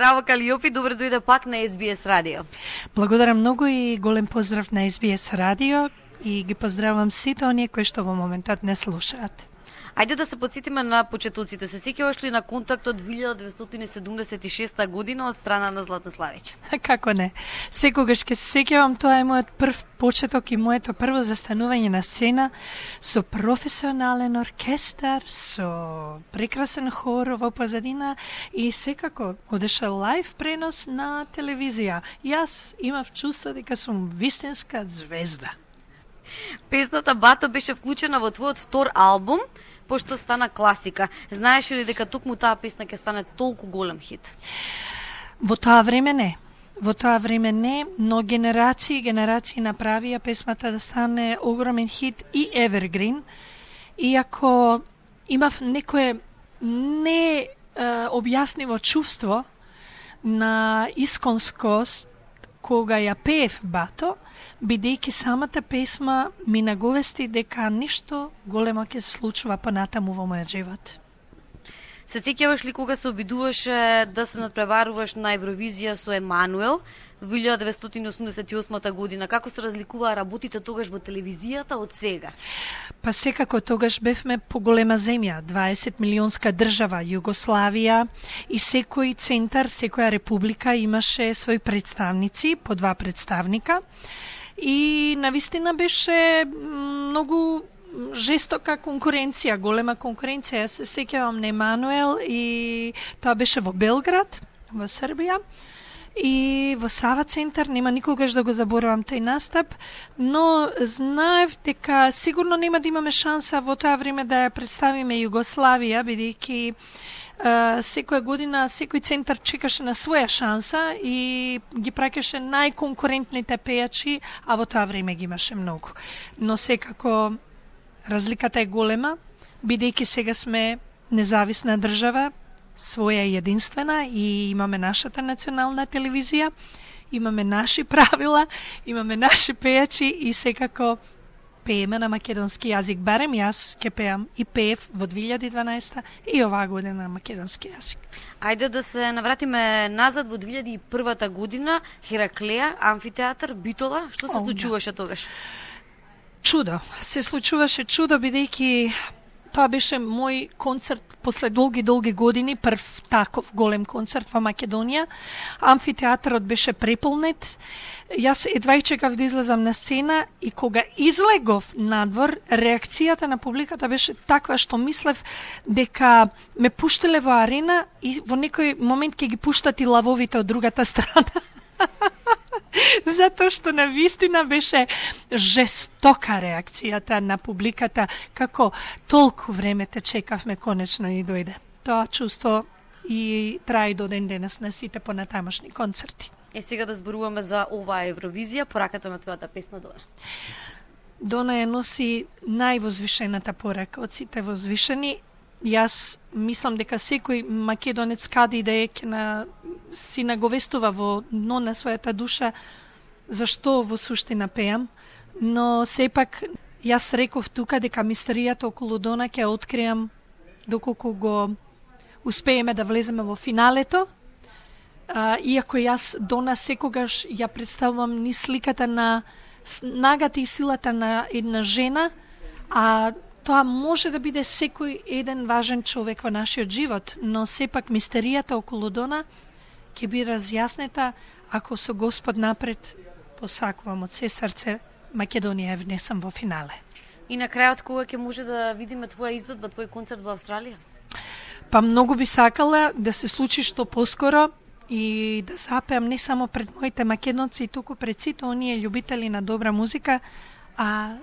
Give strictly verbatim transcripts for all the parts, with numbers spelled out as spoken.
Здраво, Калиопи, добро дојде пак на Ес Би Ес Радио. Благодарам многу и голем поздрав на Ес Би Ес Радио и ги поздравам сите оние кои што во моментот не слушаат. Ајде да се потсетиме на почетоците. Се сеќаваш ли на контактот две илјади деветстотини седумдесет и шеста година од страна на Златна Славиќ? Како не? Секогаш ќе се сеќавам, тоа е мојот прв почеток и моето прво застанување на сцена со професионален оркестар, со прекрасен хор во позадина и секако одеше лајв пренос на телевизија. Јас имав чувство дека сум вистинска звезда. Песната Бато беше вклучена во твојот втор албум, пошто стана класика. Знаеш ли дека токму таа песна ќе стане толку голем хит? Во тоа време не. Во тоа време не, но генерации и генерации направија песмата да стане огромен хит и evergreen. Иако имав некое не е, објаснимо чувство на исконскост кога ја пеев Бато, бидејќи самата песма ми наговести дека нешто големо ќе се случува понатаму во мојот живот. Се сеќаваш ли кога се обидуваше да се надпреваруваш на Евровизија со Емануел во илјада деветстотини осумдесет и осма година? Како се разликуваа работите тогаш во телевизијата од сега? Па секако тогаш бевме поголема земја, дваесет милионска држава, Југославија, и секој центар, секоја република имаше своји представници, по два представника. И навистина беше многу жестока конкуренција, голема конкуренција. Јас се сеќавам на Емануел и тоа беше во Белград, во Србија. И во Сава центар, нема никогаш да го заборавам тој настап, но знаев дека сигурно нема да имаме шанса во тоа време да ја представиме Југославија, бидејќи Uh, секоја година секој центар чекаше на своја шанса и ги праќаше најконкурентните пејачи, а во тоа време ги имаше многу. Но секако разликата е голема, бидејќи сега сме независна држава, своја единствена и имаме нашата национална телевизија, имаме наши правила, имаме наши пејачи и секако пееме на македонски јазик. Барем јас ќе пеам и пеев во две илјади и дванаесета и оваа година на македонски јазик. Ајде да се навратиме назад во две илјади и првата година, Хераклеја, амфитеатар, Битола. Што се случуваше тогаш? Чудо. Се случуваше чудо, бидејќи тоа беше мој концерт после долги, долги години, прв таков голем концерт во Македонија. Амфитеатарот беше преполнет. Јас едва и чекав да излезам на сцена и кога излегов надвор, реакцијата на публиката беше таква што мислев дека ме пуштиле во арена и во некој момент ќе ги пуштат и лавовите од другата страна. Затоа што на вистина беше жестока реакцијата на публиката, како толку време те чекавме, конечно и дојде. Тоа чувство и трае до ден денес на сите понатамошни концерти. Е, сега да зборуваме за оваа Евровизија, пораката на твојата песна Дона. Дона ја носи највозвишената порака од сите возвишени. Јас мислам дека секој македонец каде да е ќе на си наговестува во дно на својата душа зашто во суштина пеам, но сепак јас реков тука дека мистеријата околу Дона ќе откриам доколку го успееме да влеземе во финалето. Uh, иако јас Дона секогаш ја представувам ни сликата на снагата и силата на една жена, а тоа може да биде секој еден важен човек во нашиот живот, но сепак мистеријата околу Дона ќе биде разјаснета ако со Господ напред посакувам од се срце Македонија е внесам во финале. И на крајот кога ќе може да видиме твоја изведба, твој концерт во Австралија? Па многу би сакала да се случи што поскоро и да запеам не само пред моите македонци, туку пред сите оние љубители на добра музика, а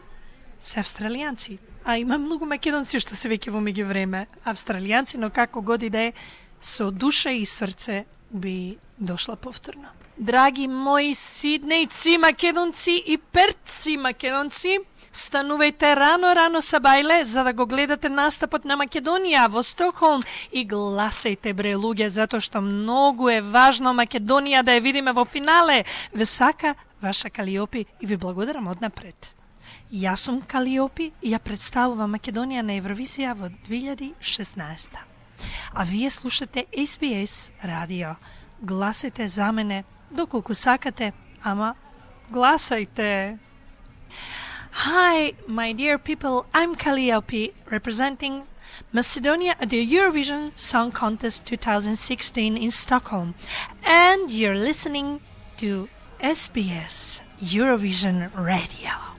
се австралијанци. А има многу македонци што се веќе во меѓувреме австралијанци, но како годи да е, со душа и срце би дошла повторно. Драги мои сиднејци македонци и перци македонци, станувајте рано-рано са бајле за да го гледате настапот на Македонија во Стокхолм и гласајте бре луѓе, затоа што многу е важно Македонија да ја видиме во финале. Ве сака ваша Калиопи и ви благодарам однапред. Јас сум Калиопи и ја представувам Македонија на Евровизија во две илјади и шеснаесета. А вие слушате Ес Би Ес Радио. гласајте за мене доколку сакате, ама гласајте. Hi, my dear people, I'm Calliope, representing Macedonia at the Eurovision Song Contest twenty sixteen in Stockholm, and you're listening to S B S Eurovision Radio.